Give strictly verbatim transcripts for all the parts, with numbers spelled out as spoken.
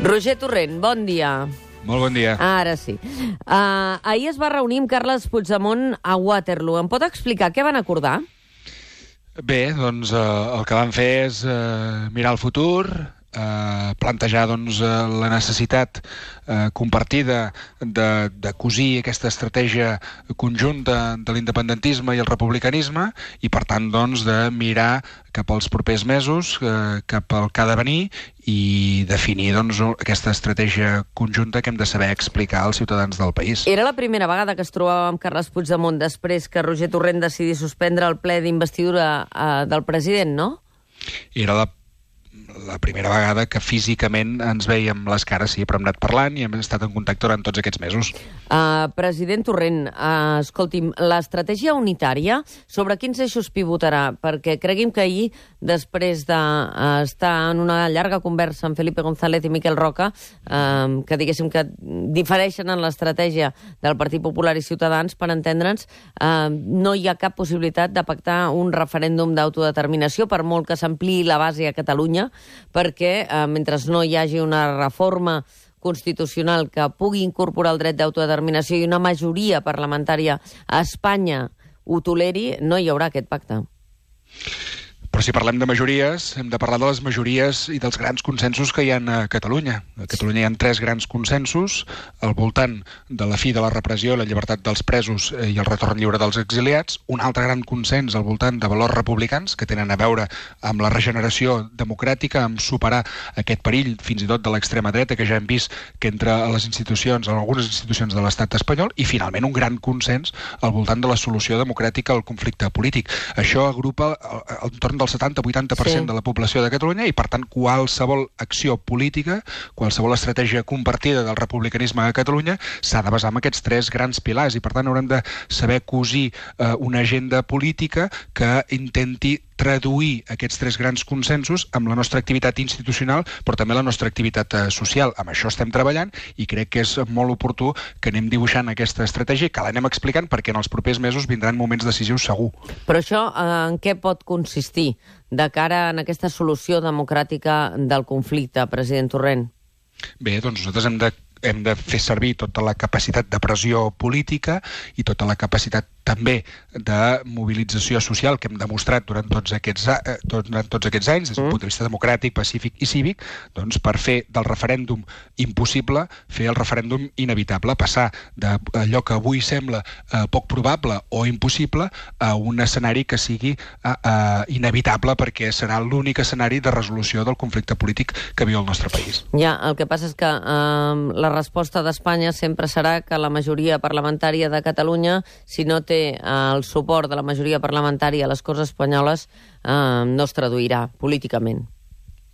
Roger Torrent, bon dia. Molt bon dia. Ara sí. Uh, ahir es va reunir amb Carles Puigdemont a Waterloo. Em pot explicar què van acordar? Bé, doncs eh, el que van fer és eh, mirar el futur, eh, plantejar doncs, eh, la necessitat eh, compartida de, de cosir aquesta estratègia conjunta de l'independentisme i el republicanisme i, per tant, doncs, de mirar cap als propers mesos, eh, cap al que ha de venir i definir doncs, aquesta estratègia conjunta que hem de saber explicar als ciutadans del país. Era la primera vegada que es trobava amb Carles Puigdemont després que Roger Torrent decidís suspendre el ple d'investidura eh, del president, no? Era la la primera vegada que físicament ens veiem les cares, sí, però hem anat parlant i hem estat en contacte durant tots aquests mesos. Uh, president Torrent, uh, escolti'm, l'estratègia unitària, sobre quins eixos pivotarà? Perquè cregui'm que ahir, després d'estar uh, en una llarga conversa amb Felipe González i Miquel Roca, uh, que diguéssim que difereixen en l'estratègia del Partit Popular i Ciutadans, per entendre'ns, uh, no hi ha cap possibilitat de pactar un referèndum d'autodeterminació, per molt que s'ampliï la base a Catalunya, perquè eh, mentre no hi hagi una reforma constitucional que pugui incorporar el dret d'autodeterminació i una majoria parlamentària a Espanya ho toleri, no hi haurà aquest pacte. Però si parlem de majories, hem de parlar de les majories i dels grans consensos que hi ha a Catalunya. A Catalunya hi ha tres grans consensos al voltant de la fi de la repressió, la llibertat dels presos i el retorn lliure dels exiliats. Un altre gran consens al voltant de valors republicans que tenen a veure amb la regeneració democràtica, amb superar aquest perill fins i tot de l'extrema dreta que ja hem vist que entra a les institucions, a algunes institucions de l'estat espanyol, i finalment un gran consens al voltant de la solució democràtica al conflicte polític. Això agrupa al torn del setanta a vuitanta per cent sí. de la població de Catalunya i, per tant, qualsevol acció política, qualsevol estratègia compartida del republicanisme a Catalunya s'ha de basar en aquests tres grans pilars i, per tant, haurem de saber cosir eh, una agenda política que intenti traduir aquests tres grans consensos amb la nostra activitat institucional, però també la nostra activitat eh, social. Amb això estem treballant i crec que és molt oportú que anem dibuixant aquesta estratègia, que l'anem explicant perquè en els propers mesos vindran moments decisius segur. Però això eh, en què pot consistir de cara a aquesta solució democràtica del conflicte, president Torrent? Bé, doncs nosaltres hem de hem de fer servir tota la capacitat de pressió política i tota la capacitat també de mobilització social que hem demostrat durant tots aquests, eh, durant tots aquests anys, des d'un punt de vista democràtic, pacífic i cívic, doncs per fer del referèndum impossible, fer el referèndum inevitable, passar d'allò que avui sembla eh, poc probable o impossible a un escenari que sigui eh, eh, inevitable, perquè serà l'únic escenari de resolució del conflicte polític que viu el nostre país. Ja, el que passa és que eh, la resposta d'Espanya sempre serà que la majoria parlamentària de Catalunya, si no té el suport de la majoria parlamentària a les Corts Espanyoles, eh, no es traduirà políticament.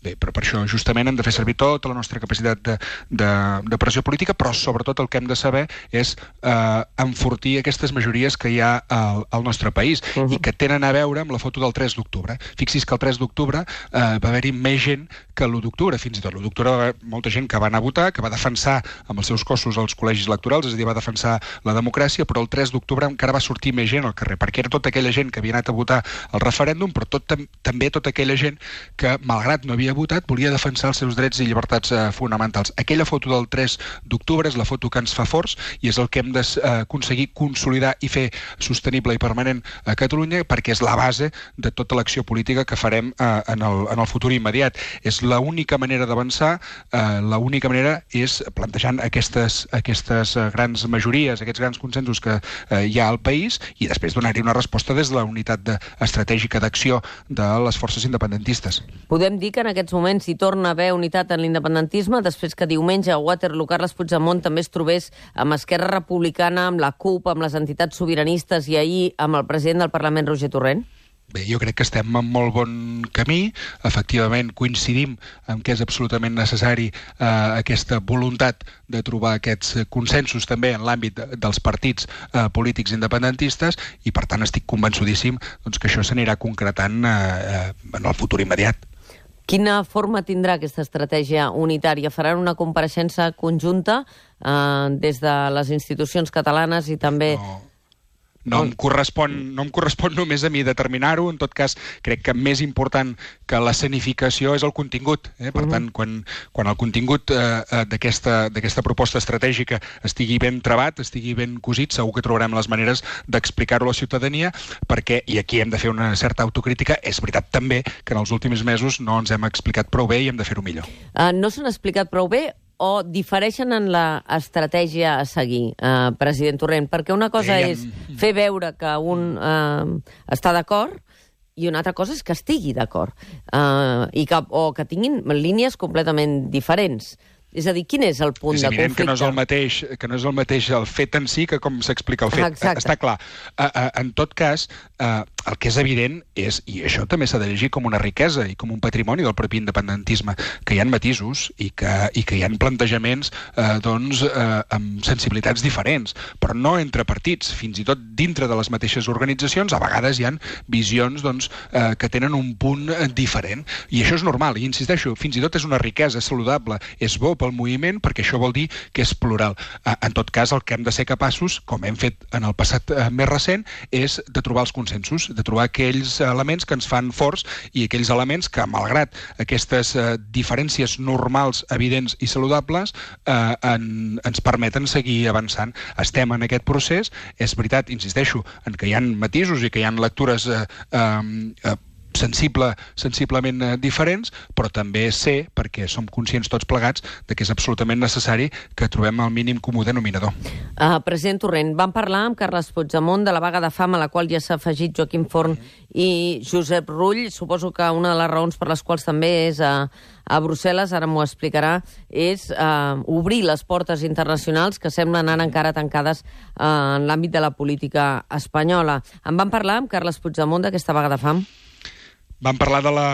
Bé, però per això justament hem de fer servir tota la nostra capacitat de, de, de pressió política, però sobretot el que hem de saber és eh, enfortir aquestes majories que hi ha al, al nostre país uh -huh. i que tenen a veure amb la foto del tres d'octubre. Fixis que el tres d'octubre eh, va haver-hi més gent que l'u d'octubre, fins i tot l'u d'octubre va haver molta gent que va anar a votar, que va defensar amb els seus cossos els col·legis electorals, és a dir, va defensar la democràcia, però el tres d'octubre encara va sortir més gent al carrer, perquè era tota aquella gent que havia anat a votar al referèndum, però tot, també tota aquella gent que, malgrat no havia votat, volia defensar els seus drets i llibertats eh, fonamentals. Aquella foto del tres d'octubre és la foto que ens fa forts i és el que hem d'aconseguir consolidar i fer sostenible i permanent a Catalunya, perquè és la base de tota l'acció política que farem eh, en, el, en el futur immediat. És l'única manera d'avançar, eh, l'única manera és plantejant aquestes, aquestes grans majories, aquests grans consensos que eh, hi ha al país i després donar-hi una resposta des de la unitat de, estratègica d'acció de les forces independentistes. Podem dir que en aquests moments hi torna a haver unitat en l'independentisme després que diumenge a Waterloo Carles Puigdemont també es trobés amb Esquerra Republicana, amb la CUP, amb les entitats sobiranistes i ahir amb el president del Parlament, Roger Torrent? Bé, jo crec que estem en molt bon camí. Efectivament, coincidim en que és absolutament necessari eh, aquesta voluntat de trobar aquests consensos també en l'àmbit de, dels partits eh, polítics independentistes i, per tant, estic convençudíssim doncs, que això s'anirà concretant eh, en el futur immediat. Quina forma tindrà aquesta estratègia unitària? Faran una compareixença conjunta eh, des de les institucions catalanes i també... No. No em, correspon, no em correspon només a mi determinar-ho, en tot cas crec que més important que l'escenificació és el contingut. Eh? Per tant, quan, quan el contingut eh, d'aquesta proposta estratègica estigui ben trebat, estigui ben cosit, segur que trobarem les maneres d'explicar-ho a la ciutadania, perquè, i aquí hem de fer una certa autocrítica, és veritat també que en els últims mesos no ens hem explicat prou bé i hem de fer-ho millor. Uh, no s'han explicat prou bé o difereixen en l'estratègia a seguir, eh, president Torrent? Perquè una cosa Deien... és fer veure que un eh, està d'acord i una altra cosa és que estigui d'acord, eh, i que, o que tinguin línies completament diferents. És a dir, quin és el punt de conflicte? És evident que no és el mateix, que no és el mateix el fet en si que com s'explica el fet. Exacte. Està clar. Uh, uh, en tot cas, uh, el que és evident és, i això també s'ha de llegir com una riquesa i com un patrimoni del propi independentisme, que hi ha matisos i que, i que hi ha plantejaments uh, doncs, uh, amb sensibilitats diferents, però no entre partits, fins i tot dintre de les mateixes organitzacions, a vegades hi ha visions doncs, uh, que tenen un punt diferent. I això és normal, i insisteixo, fins i tot és una riquesa saludable, és bo pel moviment, perquè això vol dir que és plural. En tot cas, el que hem de ser capaços, com hem fet en el passat més recent, és de trobar els consensos, de trobar aquells elements que ens fan forts i aquells elements que, malgrat aquestes diferències normals, evidents i saludables, eh, en, ens permeten seguir avançant. Estem en aquest procés. És veritat, insisteixo, en que hi ha matisos i que hi ha lectures eh, eh, sensible, sensiblement eh, diferents, però també sé, perquè som conscients tots plegats, de que és absolutament necessari que trobem el mínim comú denominador. Uh, president Torrent, vam parlar amb Carles Puigdemont de la vaga de fam a la qual ja s'ha afegit Joaquim Forn i Josep Rull. Suposo que una de les raons per les quals també és a, a Brussel·les, ara m'ho explicarà, és uh, obrir les portes internacionals que semblen anar encara tancades uh, en l'àmbit de la política espanyola. En vam parlar amb Carles Puigdemont d'aquesta vaga de fam? Vam parlar de la,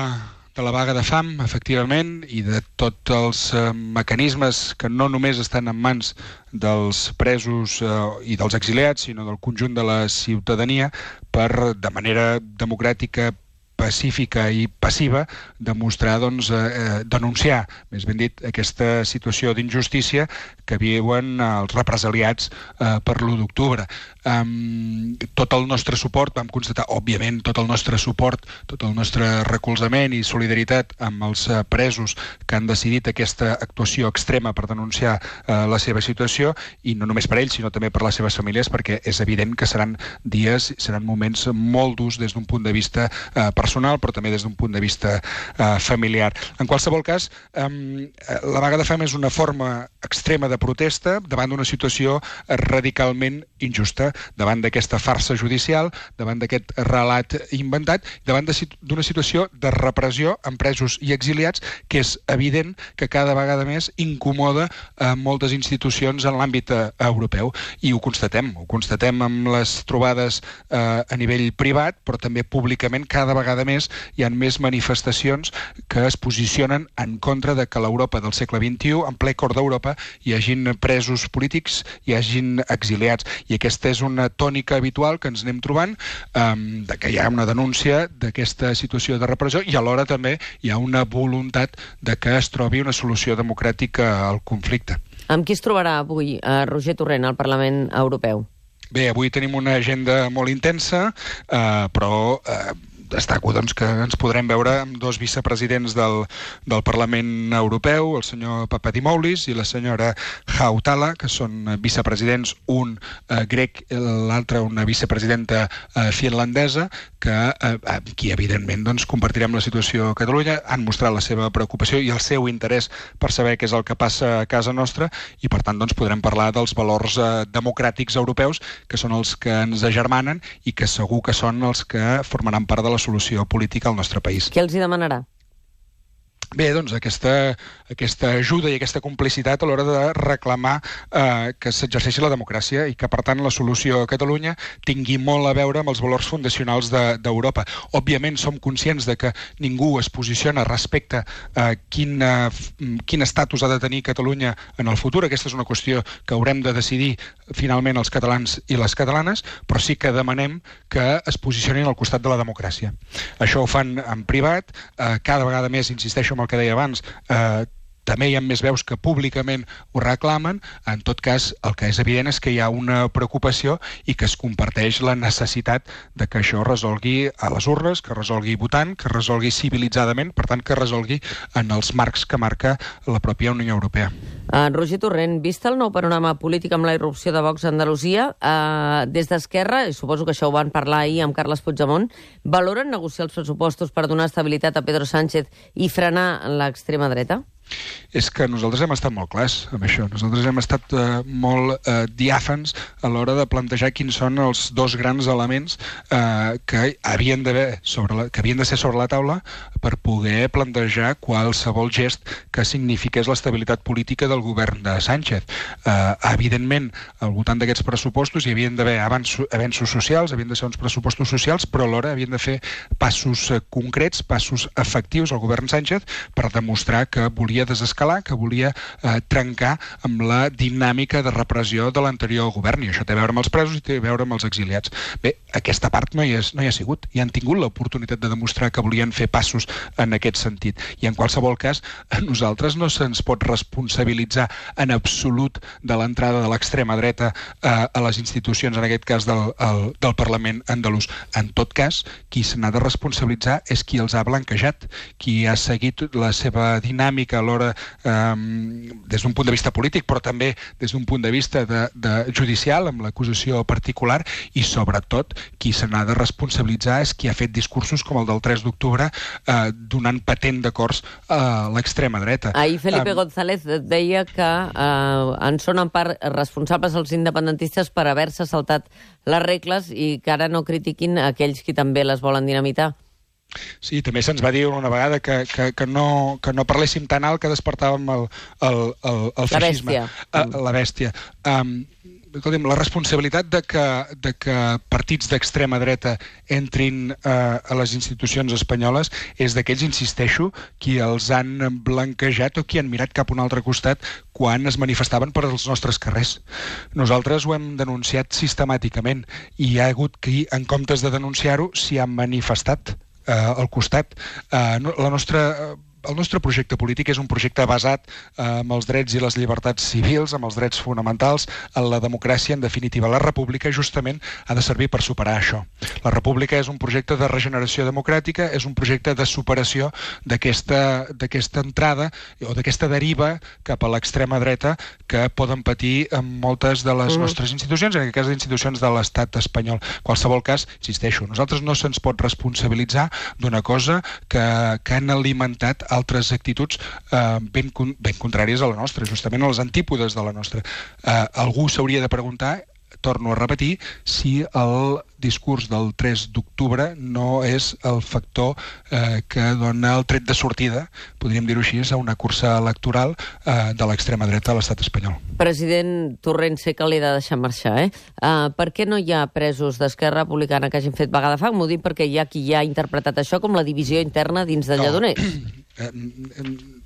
de la vaga de fam, efectivament, i de tots els eh, mecanismes que no només estan en mans dels presos eh, i dels exiliats, sinó del conjunt de la ciutadania per, de manera democràtica, pacífica i passiva, demostrar, doncs, eh, denunciar, més ben dit, aquesta situació d'injustícia que viuen els represaliats eh, per l'u d'octubre. Um, tot el nostre suport, vam constatar, òbviament, tot el nostre suport, tot el nostre recolzament i solidaritat amb els uh, presos que han decidit aquesta actuació extrema per denunciar uh, la seva situació, i no només per ells, sinó també per les seves famílies, perquè és evident que seran dies, seran moments molt durs des d'un punt de vista uh, personal, però també des d'un punt de vista uh, familiar. En qualsevol cas, um, la vaga de fam és una forma extrema de protesta davant d'una situació radicalment injusta, davant d'aquesta farsa judicial, davant d'aquest relat inventat, davant d'una situació de repressió amb presos i exiliats que és evident que cada vegada més incomoda a moltes institucions en l'àmbit europeu. I ho constatem, ho constatem amb les trobades eh, a nivell privat, però també públicament cada vegada més hi ha més manifestacions que es posicionen en contra de que l'Europa del segle vint-i-u, en ple cor d'Europa, hi hagin presos polítics, hi hagin exiliats. I aquesta és una tònica habitual que ens anem trobant, um, de que hi ha una denúncia d'aquesta situació de repressió i alhora també hi ha una voluntat de que es trobi una solució democràtica al conflicte. Amb qui es trobarà avui eh, Roger Torrent al Parlament Europeu? Bé, avui tenim una agenda molt intensa, eh, però eh, destaco doncs, que ens podrem veure amb dos vicepresidents del, del Parlament Europeu, el senyor Papadimoulis i la senyora Hautala, que són vicepresidents, un eh, grec, l'altre una vicepresidenta eh, finlandesa, que eh, aquí evidentment doncs, compartirem la situació a Catalunya, han mostrat la seva preocupació i el seu interès per saber què és el que passa a casa nostra, i per tant doncs, podrem parlar dels valors eh, democràtics europeus, que són els que ens agermanen i que segur que són els que formaran part de la solució política al nostre país. Què els hi demanarà? Bé, doncs aquesta, aquesta ajuda i aquesta complicitat a l'hora de reclamar eh, que s'exerceixi la democràcia i que, per tant, la solució a Catalunya tingui molt a veure amb els valors fundacionals d'Europa. De, Òbviament, som conscients de que ningú es posiciona respecte a quin, quin estatus ha de tenir Catalunya en el futur. Aquesta és una qüestió que haurem de decidir finalment els catalans i les catalanes, però sí que demanem que es posicionin al costat de la democràcia. Això ho fan en privat, eh, cada vegada més, insisteixo amb el que deia abans, eh, també hi ha més veus que públicament ho reclamen. En tot cas, el que és evident és que hi ha una preocupació i que es comparteix la necessitat de que això resolgui a les urnes, que resolgui votant, que resolgui civilitzadament, per tant, que resolgui en els marcs que marca la pròpia Unió Europea. Uh, Roger Torrent, vist el nou panorama polític amb la irrupció de Vox a Andalusia, uh, des d'Esquerra, i suposo que això ho van parlar ahir amb Carles Puigdemont, valoren negociar els pressupostos per donar estabilitat a Pedro Sánchez i frenar l'extrema dreta? És que nosaltres hem estat molt clars amb això. Nosaltres hem estat eh, molt eh, diàfans a l'hora de plantejar quins són els dos grans elements eh, que havien d'haver sobre la, que havien de ser sobre la taula per poder plantejar qualsevol gest que signifiqués l'estabilitat política del govern de Sánchez. Eh, evidentment, al voltant d'aquests pressupostos hi havien d'haver avenços socials, havien de ser uns pressupostos socials, però alhora havien de fer passos eh, concrets, passos efectius al govern Sánchez per demostrar que volia desescalar, que volia eh, trencar amb la dinàmica de repressió de l'anterior govern, i això té a veure amb els presos i té a veure amb els exiliats. Bé, aquesta part no hi, és, no hi ha sigut, i han tingut l'oportunitat de demostrar que volien fer passos en aquest sentit, i en qualsevol cas a nosaltres no se'ns pot responsabilitzar en absolut de l'entrada de l'extrema dreta eh, a les institucions, en aquest cas del, el, del Parlament andalús. En tot cas, qui se n'ha de responsabilitzar és qui els ha blanquejat, qui ha seguit la seva dinàmica alhora eh, des d'un punt de vista polític, però també des d'un punt de vista de, de judicial, amb l'acusació particular, i sobretot qui se n'ha de responsabilitzar és qui ha fet discursos com el del tres d'octubre eh, donant patent d'acords a l'extrema dreta. Ahir Felipe um, González deia que eh, en són en part responsables els independentistes per haver-se saltat les regles i que ara no critiquin aquells qui també les volen dinamitar. Sí, també se'ns va dir una vegada que, que, que, no, que no parléssim tan alt que despertàvem el, el, el, el feixisme. La bèstia. Uh, la bèstia. Um, escolti'm, la responsabilitat de que, de que partits d'extrema dreta entrin uh, a les institucions espanyoles és d'aquells, insisteixo, qui els han blanquejat o qui han mirat cap a un altre costat quan es manifestaven per als nostres carrers. Nosaltres ho hem denunciat sistemàticament i hi ha hagut qui, en comptes de denunciar-ho, s'hi han manifestat Uh, al costat. Uh, no, la nostra... Uh, El nostre projecte polític és un projecte basat eh, en els drets i les llibertats civils, amb els drets fonamentals, en la democràcia, en definitiva. La república justament ha de servir per superar això. La república és un projecte de regeneració democràtica, és un projecte de superació d'aquesta d'aquesta entrada o d'aquesta deriva cap a l'extrema dreta que poden patir en moltes de les mm. nostres institucions, en aquest cas institucions de l'estat espanyol. En qualsevol cas, insisteixo, nosaltres no se'ns pot responsabilitzar d'una cosa que, que han alimentat altres actituds eh, ben, ben contràries a la nostra, justament a les antípodes de la nostra. Eh, algú s'hauria de preguntar, torno a repetir, si el discurs del tres d'octubre no és el factor eh, que dona el tret de sortida, podríem dir-ho així, a una cursa electoral eh, de l'extrema dreta a l'estat espanyol. President Torrent, sé que l'he de deixar marxar, eh? Uh, per què no hi ha presos d'Esquerra Republicana que hagin fet vaga de fam? M'ho dic perquè hi ha qui ja ha interpretat això com la divisió interna dins de Lledoners. No.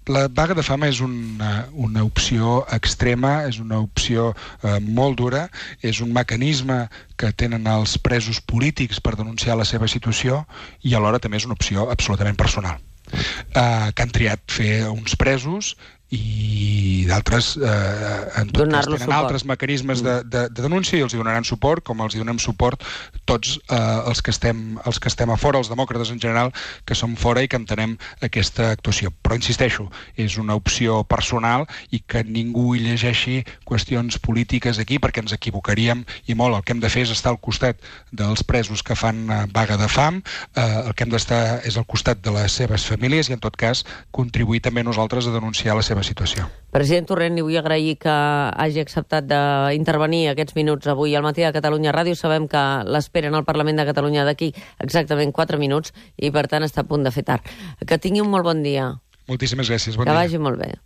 La vaga de fam és una, una opció extrema, és una opció eh, molt dura, és un mecanisme que tenen els presos polítics per denunciar la seva situació i alhora també és una opció absolutament personal. Eh, que han triat fer uns presos i d'altres eh, en tot cas tenen altres mecanismes de, de, de denúncia i els hi donaran suport, com els hi donem suport tots eh, els, que estem, els que estem a fora, els demòcrates en general, que som fora i que entenem aquesta actuació. Però insisteixo, és una opció personal i que ningú hi llegeixi qüestions polítiques aquí perquè ens equivocaríem i molt. El que hem de fer és estar al costat dels presos que fan eh, vaga de fam, eh, el que hem d'estar és al costat de les seves famílies i en tot cas contribuir també nosaltres a denunciar la seva situació. President Torrent, li vull agrair que hagi acceptat d'intervenir aquests minuts avui al Matí de Catalunya Ràdio. Sabem que l'esperen al Parlament de Catalunya d'aquí exactament quatre minuts i, per tant, està a punt de fer tard. Que tingui un molt bon dia. Moltíssimes gràcies. Bon que dia. vagi molt bé.